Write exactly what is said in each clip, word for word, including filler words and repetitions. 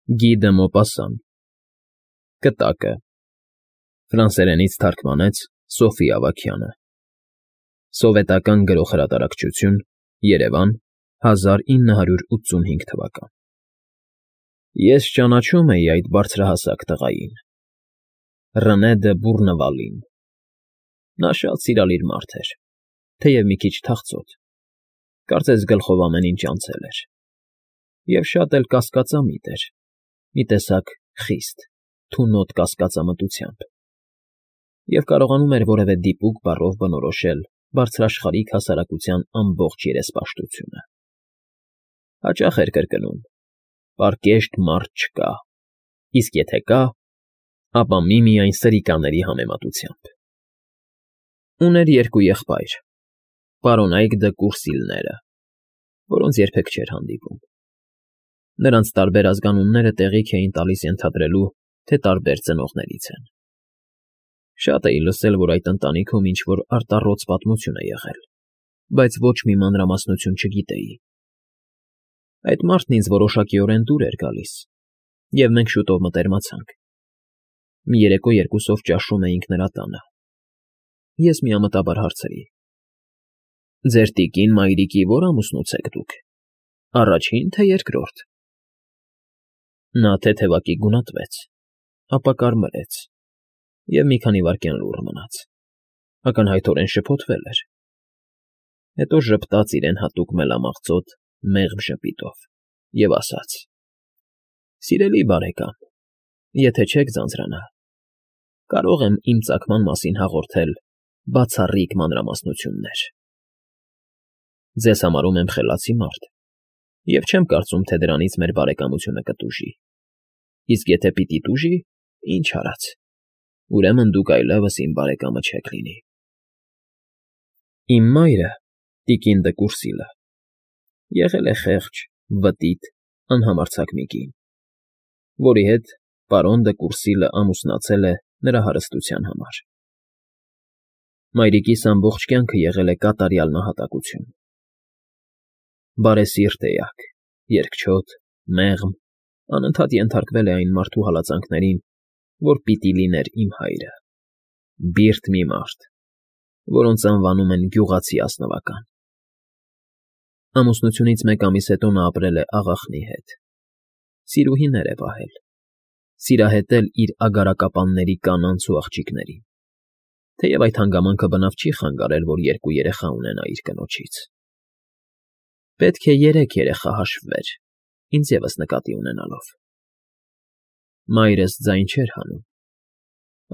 Գի դը Մոպասան Կտակը Ֆրանսերենից թարգմանեց Սոֆի Ավագյանը Սովետական Գրողհրատարակչություն Երևան հազար ինը հարյուր ութսունհինգ թվական Ես ճանաչում էի այդ բարձրահասակ տղային, Ռնե դը Բուռնվալին, նա շատ սիրալիր մարդ էր, թեև մի քիչ թախծոտ, կարծես գլխով ամեն ինչ անցել էր, և շատ էլ կասկածամիտ էր, մի տեսակ խիստ, թունոտ կասկածամտությամբ, և կարողանում էր որևէ դիպուկ բառով բնորոշել բարձրաշխարհիկ հասարակության ամբողջ երեսպաշտությունը. հաճախ էր կրկնում. «Պարկեշտ մարդ չկա, իսկ եթե կա, ապա միմիայն սրիկաների համեմատությամբ»։ Ուներ երկու եղբայր, պարոնայք դը Կուրսիլները, որոնց երբեք չէր հանդիպում. նրանց տարբեր ազգանունները տեղիք էին տալիս ենթադրելու, թե տարբեր ծնողներից են։ Շատ էի լսել, որ այդ ընտանիքում ինչ֊որ արտառոց պատմություն է եղել, բայց ոչ մի մանրամասնություն չգիտեի։ Այդ մարդն ինձ որոշակիորեն դուր էր գալիս, և մենք շուտով մտերմացանք։ Մի երեկո երկուսով ճաշում էինք նրա տանը։ Ես միամտաբար հարցրի. «Ձեր տիկին֊մայրիկի ո՞ր ամուսնուց եք դուք, առաջին, թե երկրորդ»։ Նա թեթևակի գունատվեց, ապա կարմրեց և մի քանի վայրկյան լուռ մնաց, ակնհայտորեն շփոթվել էր, հետո ժպտաց իրեն հատուկ մելամաղձոտ մեղմ ժպիտով և ասաց. «Սիրելի բարեկամ, եթե չեք ձանձրանա, կարող եմ իմ ծագման մասին հաղորդել բացառիկ մանրամասնություններ։ Ձեզ համարում եմ խելացի մարդ և չեմ կարծում, թե դրանից մեր բարեկամությունը կտուժի, իսկ եթե պիտի տուժի, ինչ արած, ուրեմն դուք այլևս իմ բարեկամը չեք լինի։ Իմ մայրը՝ տիկին դը Կուրսիլը, եղել է խեղճ, վտիտ, անհամարձակ մի կին, որի հետ պարոն դը Կուրսիլը ամուսնացել է նրա հարստության համար։ Մայրիկիս ամբողջ կյանքը եղել է կատարյալ նահատակություն։ Բարեսիրտ էակ, երկչոտ, մեղմ, անընդհատ ենթարկվել է այն մարդու հալածանքներին, որ պիտի լիներ իմ հայրը, բիրտ մի մարդ, որոնց անվանում են գյուղացի ազնվական։ Ամուսնությունից մեկ ամիս հետո նա ապրել է աղախնի հետ, սիրուհիներ է պահել, սիրահետել իր ագարակապանների կանանց ու աղջիկներին, թեև այդ հանգամանքը բնավ չի խանգարել, որ երկու երեխա ունենա իր կնոջից։ Պետք է երեք երեխա հաշվվեր, ինձ ևս նկատի ունենալով։ Մայրս ձայն չէր հանում,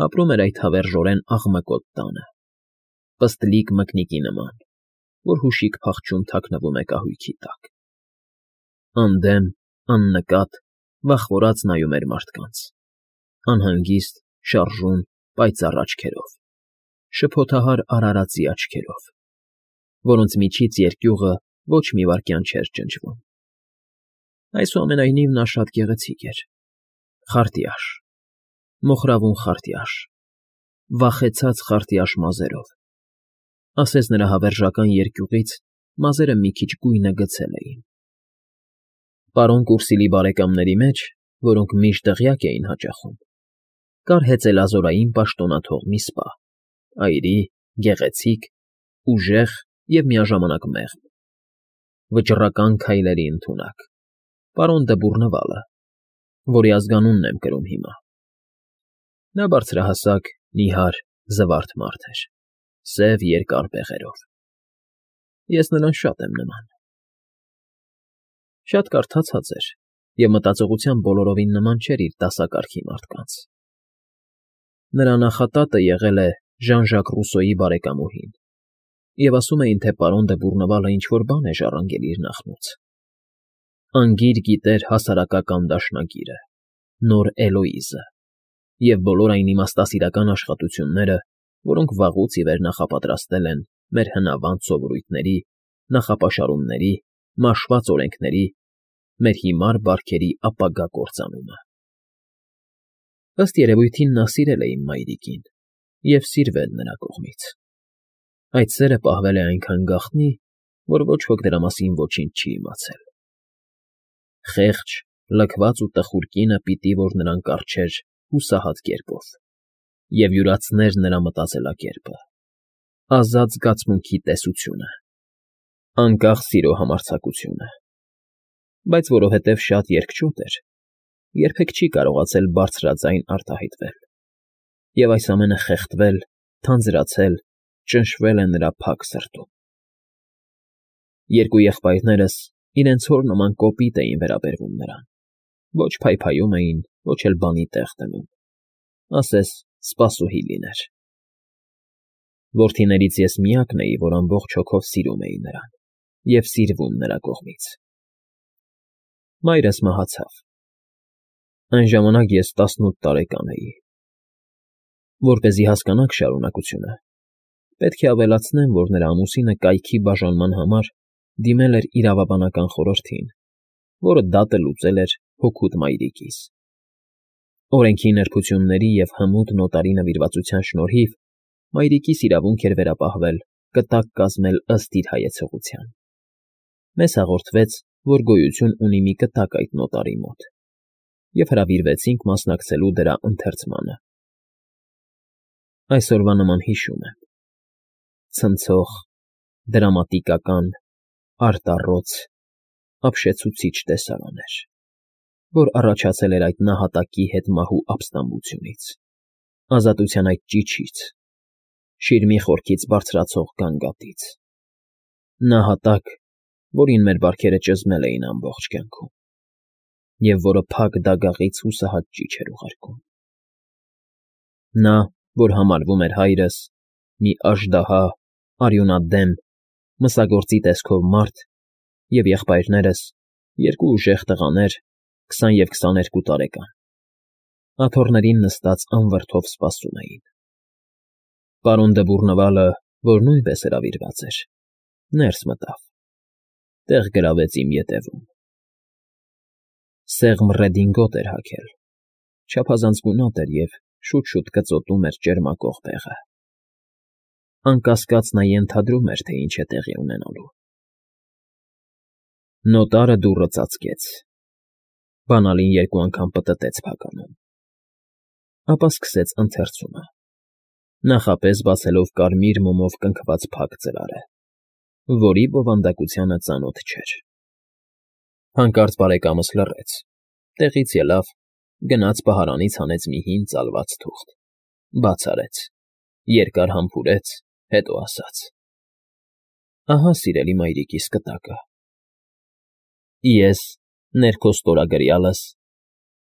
ապրում էր այդ հավերժորեն աղմկոտ տանը, պստլիկ մկնիկի նման, որ հուշիկ փախչում թաքնվում է կահույքի տակ։ Անդեմ, աննկատ, վախվորած նայում էր մարդկանց, անհանգիստ, շարժուն, պայծառ աչքերով, շփոթահար արարածի աչքերով, որոնց միջից երկյուղը ոչ մի վայրկյան չէր ջնջվում։ Այսուամենայնիվ նա շատ գեղեցիկ էր, խարտյաշ, մոխրավուն խարտյաշ, վախեցած խարտյաշ մազերով, ասես նրա հավերժական երկյուղից մազերը մի քիչ գույնը գցել էին։ Պարոն Կուրսիլի բարեկամների մեջ, որոնք միշտ դղյակ էին հաճախում, կար հեծելազորային պաշտոնաթող մի սպա, այրի, գեղեցիկ, ուժեղ և միաժամանակ մեղմ, վճռական քայլերի ընդունակ, պարոն դը Բուռնվալը, որի ազգանունն եմ կրում հիմա։ Նա բարձրահասակ, նիհար, զվարթ մարդ էր, սև երկար բեղերով։ Ես նրան շատ եմ նման։ Շատ կարդացած էր և մտածողությամբ բոլորովին նման չէր իր դասակարգի մարդկանց։ Նրա նախատատը եղել է Ժան֊Ժակ Ռուսոյի բարեկամուհին, և ասում էին, թե պարոն դը Բուռնվալը ինչ֊որ բան է ժառանգել իր նախնուց։ Անգիր գիտեր հասարակական դաշնագիրը, նոր Էլոիզը և բոլոր այն իմաստասիրական աշխատությունները, որոնք վաղուց ի վեր նախապատրաստել են մեր հնավանդ սովորույթների, նախապաշարումների, մաշված օրենքների, մեր հիմար բարքերի ապագա կործանումը։ Ըստ երևույթին նա սիրել է իմ մայրիկին և սիրվել նրա կողմից։ Այդ սերը պահվել է այնքան գաղտնի, որ ոչ ոք դրա մասին ոչինչ չի իմացել։ Խեղճ, լքված ու տխուր կինը պիտի որ նրան կառչեր հուսահատ կերպով և յուրացներ նրա մտածելակերպը, ազատ զգացմունքի տեսությունը, անկախ սիրո համարձակությունը, բայց որովհետև շատ երկչոտ էր, երբեք չի կարողացել բարձրաձայն արտահայտվել, և այս ամենը խեղդվել, թանձրացել, ճնշվել է նրա փակ սրտում։ Երկու եղբայրներս իրենց հոր նման կոպիտ էին վերաբերվում նրան, ոչ փայփայում էին, ոչ էլ բանի տեղ դնում, ասես սպասուհի լիներ։ Որդիներից ես միակն էի, որ ամբողջ հոգով սիրում էի նրան և սիրվում նրա կողմից։ Մայրս մահացավ։ Այն ժամանակ ես տասնութ տարեկան էի։ Որպեսզի հասկանաք շարունակությունը, պետք է ավելացնեմ, որ նրա ամուսինը կայքի բաժանման համար դիմել էր իրավաբանական խորհրդին, որը դատը լուծել էր հօգուտ մայրիկիս։ Օրենքի նրբությունների և հմուտ նոտարի նվիրվածության շնորհիվ մայրիկիս իրավունք էր վերապահվել կտակ կազմել ըստ իր հայեցողության։ Մեզ հաղորդվեց, որ գոյություն ունի մի կտակ այդ նոտարի մոտ, և հրավիրվեցինք մասնակցելու դրա ընթերցմանը։ Այսօրվա նման հիշում եմ. ցնցող, դրամատիկական, արտառոց, ապշեցուցիչ տեսարան էր, որ առաջացել էր այդ նահատակի հետ մահու ապստամբությունից, ազատության այդ ճիչից, շիրմի խորքից բարձրացող գանգատից, նահատակ, որին մեր բարքերը ճզմել էին ամբողջ կյանքում, և որը փակ դագաղից հուսահատ ճիչ էր ուղարկում։ Նա, որ համարվում էր հայրս, մի աժդահա, արյունադեմ, մսագործի տեսքով մարդ, և եղբայրներս, երկու ուժեղ տղաներ, քսան և քսաներկու տարեկան, աթոռներին նստած անվրդով սպասում էին։ Պարոն Դվուռնվալը, որ նույնպես հրավիրված էր, ներս մտավ, տեղ գրավեց իմ ետևում։ Սեղմ ռեդինգոտ էր հագել, չափազանց գունատ էր և շուտ֊շուտ կծոտում էր ճերմակող բեղը։ Անկասկած նա ենթադրում էր, թե ինչ է տեղի ունենալու։ Նոտարը դուռը ծածկեց, բանալին երկու անգամ պտտեց փականում, ապա սկսեց ընթերցումը, նախապես բացելով կարմիր մոմով կնքված փակ ծրարը, որի բովանդակությանը ծանոթ չէր։ Հանկարծ բարեկամս լռեց, տեղից ելավ, գնաց պահարանից հանեց մի հին ծալված թուղթ, բաց արեց, երկար համբուրեց, հետո ասաց. «Ահա, սիրելի մայրիկիս կտակը։ Ես, ներքո ստորագրյալս,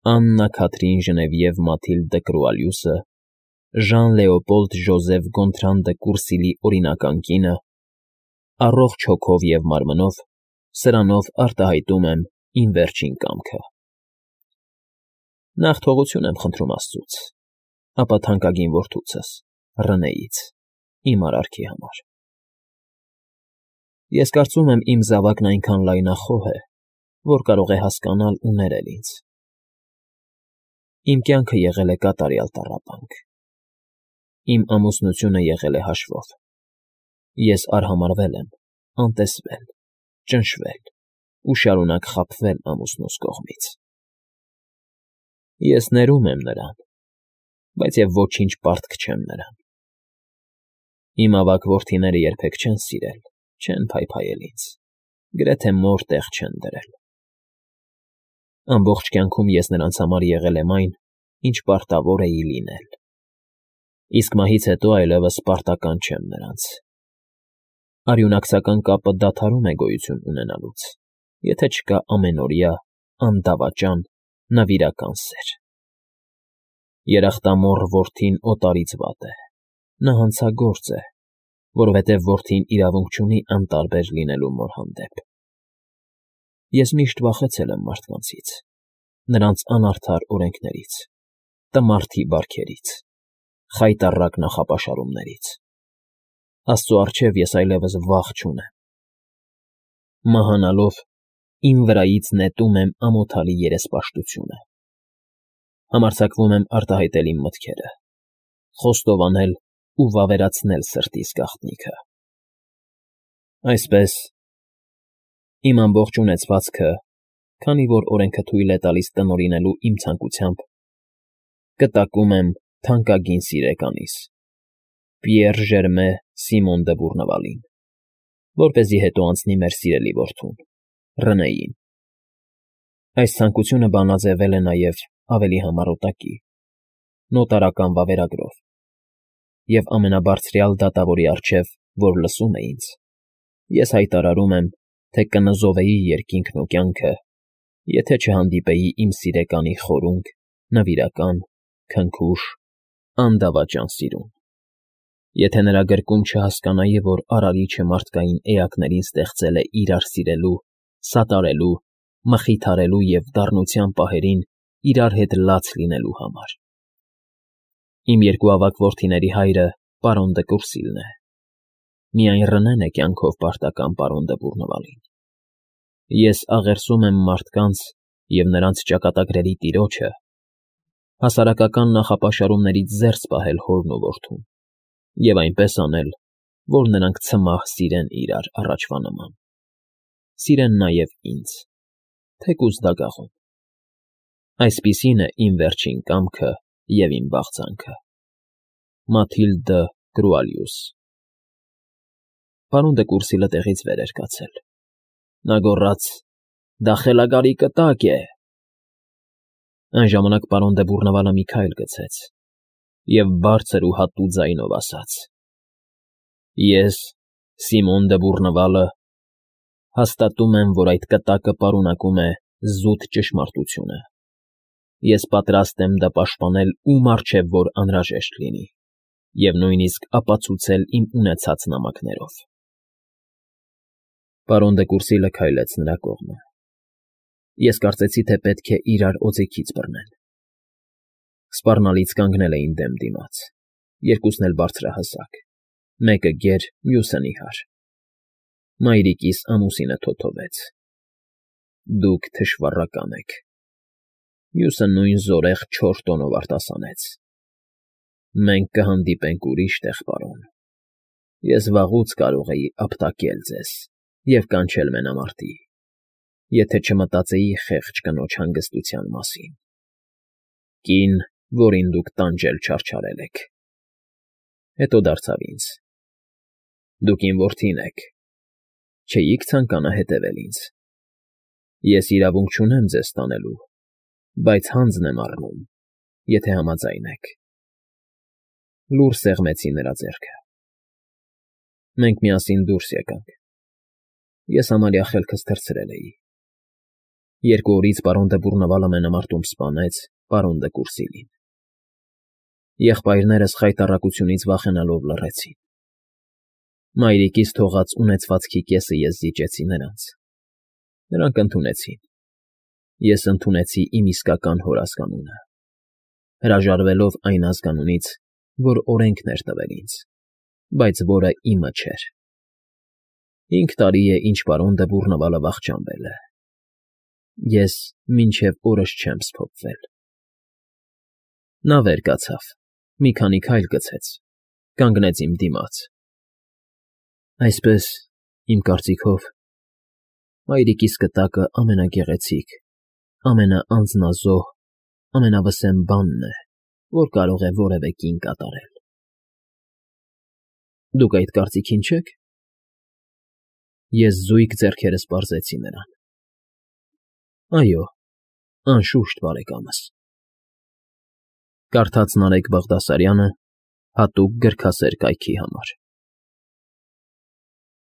Աննա Քաթրին Ժնևիև Մաթիլդ դը Կրուալյուսը, Ժան֊Լեոպոլդ Ժոզեֆ Գոնտրան դը Կուրսիլի օրինական կինը, առողջ հոգով և մարմնով, սրանով արտահայտում եմ իմ վերջին կամքը։ Նախ թողություն եմ խնդրում աստծուց, ապա թանկագին որդուցս, Ռնեից, իմ արարքի համար։ Ես կարծում եմ իմ զավակն այնքան լայնախոհ է, որ կարող է հասկանալ ու ներել ինձ։ Իմ կյանքը եղել է կատարյալ տառապանք։ Իմ ամուսնությունը եղել է հաշվով։ Ես արհամարհվել եմ, անտեսվել, ճնշվել ու շարունակ խաբվել ամուսնուս կողմից։ Ես ներում եմ նրան, բայց և ոչինչ պարտք չեմ նրան։ Իմ ավագ որդիները երբեք չեն սիրել, չեն փայփայել ինձ, գրեթե մոր տեղ չեն դրել։ Ամբողջ կյանքում ես նրանց համար եղել եմ այն, ինչ պարտավոր էի լինել, իսկ մահից հետո այլևս պարտական չեմ նրանց։ Արյունակցական կապը դադարում է գոյություն ունենալուց, եթե չկա ամենօրյա, անդավաճան, նվիրական սեր։ Երախտամոռ որդին օտարից վատ է, նա հանցագործ է, որովհետև որդին իրավունք չունի անտարբեր լինելու մոր հանդեպ։ Ես միշտ վախեցել եմ մարդկանցից, նրանց անարդար օրենքներից, տմարդի բարքերից, խայտառակ նախապաշարումներից։ Աստծու առջև ես այլևս վախ չունեմ։ Մահանալով իմ վրայից նետում եմ ամոթալի երեսպաշտությունը։ Համարձակվում եմ արտահայտել իմ մտքերը, խոստովանել ու վավերացնել սրտիս գաղտնիքը։ Այսպես, իմ ամբողջ ունեցվածքը, քանի որ օրենքը թույլ է տալիս տնօրինելու իմ ցանկությամբ, կտակում եմ թանկագին սիրեկանիս, Պիեռ Ժերմե Սիմոն դը Բուռնավալին, որպեսզի հետո անցնի մեր սիրելի որդուն, Ռնեին։ Այս ցանկությունը բանաձևվել է նաև ավելի համառոտակի, նոտարական վավերագրով, և ամենաբարձրյալ դատավորի առջև, որ լսում է ինձ, ես հայտարարում եմ, թե կնզովեի երկինքն ու կյանքը, եթե չհանդիպեի իմ սիրեկանի խորունկ, նվիրական, քնքուշ, անդավաճան սիրուն, եթե նրա գրկում չհասկանայի, որ Արարիչը մարդկային էակներին ստեղծել է իրար սիրելու, սատարելու, մխիթարելու և դառնության պահերին իրար հետ լաց լինելու համար։ Իմ երկու ավագ որդիների հայրը պարոն դը Կուրսիլն է, միայն Ռնեն է կյանքով պարտական պարոն դը Բուռնվալին։ Ես աղերսում եմ մարդկանց և նրանց ճակատագրերի տիրոջը հասարակական նախապաշարումներից զերծ պահել հորն ու որդուն և այնպես անել, որ նրանք ցմահ սիրեն իրար առաջվա նման, սիրեն նաև ինձ, թեկուզ դագաղում։ Այսպիսին է իմ վերջին կամքը և իմ բաղձանքը։ Մաթիլդ դը Կրուալյուս։ Պարոն դը Կուրսիլը տեղից վեր էր կացել։ Նա գոռաց. «Դա խելագարի կտակ է»։ Այն ժամանակ պարոն դը Բուռնավալը մի քայլ գցեց և բարձր ու հատուկ ձայնով ասաց. «Ես, Սիմոն դը Բուռնվալը, հաստատում եմ, որ այդ կտակը պարունակում է զուտ ճշմարտությունը։ Ես պատրաստ եմ դա պաշտպանել ում առջև որ անհրաժեշտ լինի և նույնիսկ ապացուցել իմ ունեցած նամակներով»։ Պարոն դը Կուրսիլը քայլեց նրա կողմը։ Ես կարծեցի, թե պետք է իրար օձեքից բռնեն։ Սպառնալից կանգնել էին դեմ դիմաց, երկուսն էլ բարձրահասակ, մեկը գեր, մյուսը նիհար։ Մայրիկիս ամուսինը թոթովեց. «Դուք թշվառական եք»։ Մյուսը նույն զորեղ չոր տոնով արտասանեց. «Մենք կհանդիպենք ուրիշ տեղ, պարոն։ Ես վաղուց կարող էի ապտակել ձեզ և կանչել մենամարտի, եթե չմտածեի խեղճ կնոջ հանգստության մասին։ Կին, որին դուք տանջել չարչարել եք»։ Հետո դարձավ ինձ. «Դուք իմ որդին եք, չէիք ցանկանա հետևել ինձ։ Ես իրավունք չունեմ ձեզ տանելու, բայց հանձն եմ առնում, եթե համաձայն եք»։ Լուռ սեղմեցի նրա ձեռքը։ Մենք միասին դուրս եկանք։ Ես համարյա խելքս թռցրել էի։ Երկու օրից պարոն դը Բուռնվալը մենամարտում սպանեց պարոն դը Կուրսիլին։ Եղբայրներս խայտառակությունից վախենալով լռեցին։ Մայրիկիս թողած ունեցվածքի կեսը ես զիջեցի նրանց։ Նրանք ընդունեցին։ Ես ընդունեցի իմ իսկական հորազգանունը, հրաժարվելով այն ազգանունից, որ օրենքն էր տվել ինձ, բայց որը իմը չէր։ Հինգ տարի է, ինչ պարոն դը Բուռնվալը վախճանվել է։ Ես մինչև օրս չեմ սփոփվել։ Նա վեր կացավ, մի քանի քայլ գցեց, կանգնեց իմ դիմաց։ Այսպես, իմ կարծիքով, մայրիկիս կտակը ամենագեղեցիկ, ամենաանձնազոհ, ամենավսեմ բանն է, որ կարող է որևէ կին կատարել։ Դուք այդ կարծիքին չե՞ք։ Ես զույգ ձեռքերս պարզեցի նրան։ Այո, անշուշտ, բարեկամս։ Կարդաց Նարեկ Բաղդասարյանը հատուկ գրքասեր կայքի համար։